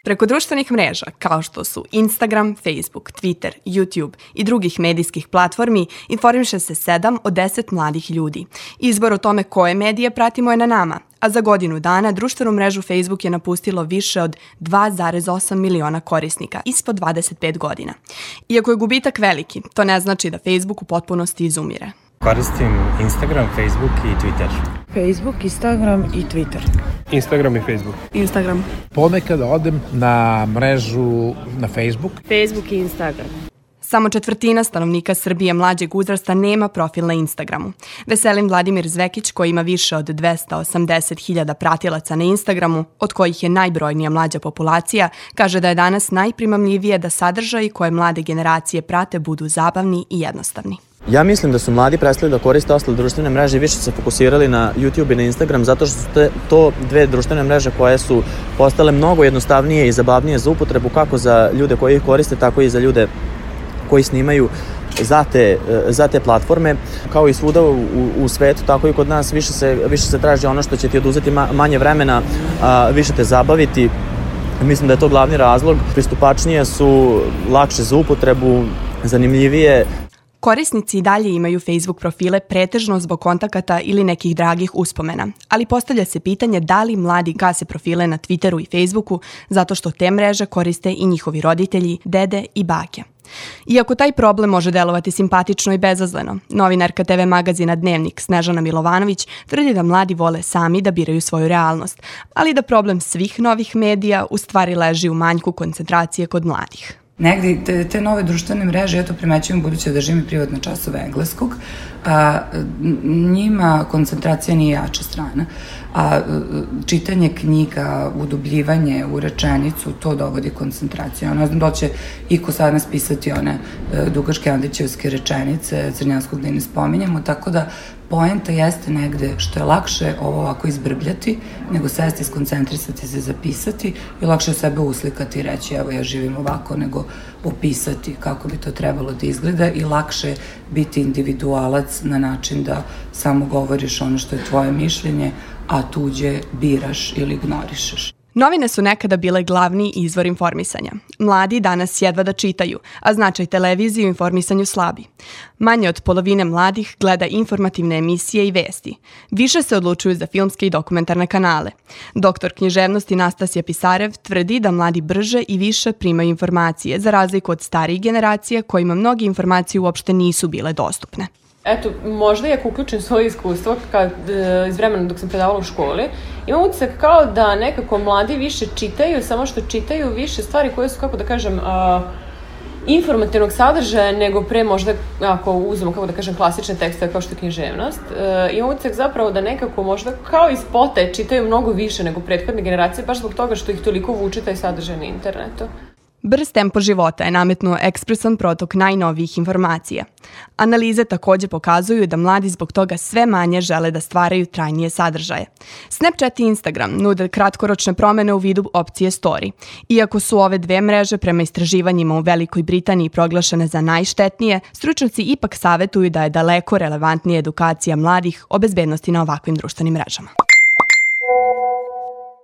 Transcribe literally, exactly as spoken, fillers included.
Preko društvenih mreža, kao što su Instagram, Facebook, Twitter, YouTube i drugih medijskih platformi, informiše se sedam od deset mladih ljudi. Izbor o tome koje medije pratimo je na nama, a za godinu dana društvenu mrežu Facebook je napustilo više od dva zarez osam miliona korisnika ispod dvadeset pet godina. Iako je gubitak veliki, to ne znači da Facebook u potpunosti izumire. Koristim Instagram, Facebook i Twitter. Facebook, Instagram i Twitter. Instagram i Facebook. Instagram. Ponekad odem na mrežu na Facebook. Facebook i Instagram. Samo četvrtina stanovnika Srbije mlađeg uzrasta nema profil na Instagramu. Veselin Vladimir Zvekić, koji ima više od dvesta osamdeset hiljada pratilaca na Instagramu, od kojih je najbrojnija mlađa populacija, kaže da je danas najprimamljivije da sadržaji koje mlade generacije prate budu zabavni i jednostavni. Ja mislim da su mladi prestali da koriste ostale društvene mreže i više se fokusirali na YouTube i na Instagram zato što su te, to dve društvene mreže koje su postale mnogo jednostavnije i zabavnije za upotrebu kako za ljude koji ih koriste, tako i za ljude koji snimaju za te, za te platforme. Kao i svuda u, u svetu, tako i kod nas više se, više se traži ono što će ti oduzeti manje vremena, a, više te zabaviti. Mislim da je to glavni razlog. Pristupačnije su, lakše za upotrebu, zanimljivije. Korisnici i dalje imaju Facebook profile pretežno zbog kontakata ili nekih dragih uspomena, ali postavlja se pitanje da li mladi gase profile na Twitteru i Facebooku zato što te mreže koriste i njihovi roditelji, dede i bake. Iako taj problem može delovati simpatično i bezazleno, novinarka te ve magazina Dnevnik Snežana Milovanović tvrdi da mladi vole sami da biraju svoju realnost, ali da problem svih novih medija u stvari leži u manjku koncentracije kod mladih. Negdje te, te nove društvene mreže, ja to primećujem budući da živim privatne časove engleskog, a, njima koncentracija nije jača strana, a čitanje knjiga, udubljivanje u rečenicu, to dovodi koncentraciju. Ja ne znam da će iko sad nas pisati one dugaške Andićevske rečenice, Crnjanskog da i ne spominjamo, tako da poenta jeste negde što je lakše ovo ovako izbrbljati, nego sesti, skoncentrisati se, zapisati i lakše sebe uslikati i reći evo ja živim ovako, nego opisati kako bi to trebalo da izgleda i lakše biti individualac na način da samo govoriš ono što je tvoje mišljenje, a tuđe biraš ili ignorišeš. Novine su nekada bile glavni izvor informisanja. Mladi danas jedva da čitaju, a značaj televizije u informisanju slabi. Manje od polovine mladih gleda informativne emisije i vesti. Više se odlučuju za filmske i dokumentarne kanale. Doktor književnosti Nastasija Pisarev tvrdi da mladi brže i više primaju informacije, za razliku od starijih generacija kojima mnogi informacije uopšte nisu bile dostupne. Eto, možda i ako uključim svoje iskustvo kad, iz vremena dok sam predavala u školi, imam utisak kao da nekako mladi više čitaju, samo što čitaju više stvari koje su, kako da kažem, a, informativnog sadržaja nego pre možda, ako uzmemo, kako da kažem, klasične tekste kao što je književnost. E, imam utisak zapravo da nekako možda kao iz pote čitaju mnogo više nego prethodne generacije, baš zbog toga što ih toliko vuče taj sadržaj na internetu. Brz tempo života je nametnuo ekspresan protok najnovijih informacija. Analize takođe pokazuju da mladi zbog toga sve manje žele da stvaraju trajnije sadržaje. Snapchat i Instagram nude kratkoročne promene u vidu opcije Story. Iako su ove dve mreže prema istraživanjima u Velikoj Britaniji proglašene za najštetnije, stručnjaci ipak savetuju da je daleko relevantnija edukacija mladih o bezbednosti na ovakvim društvenim mrežama.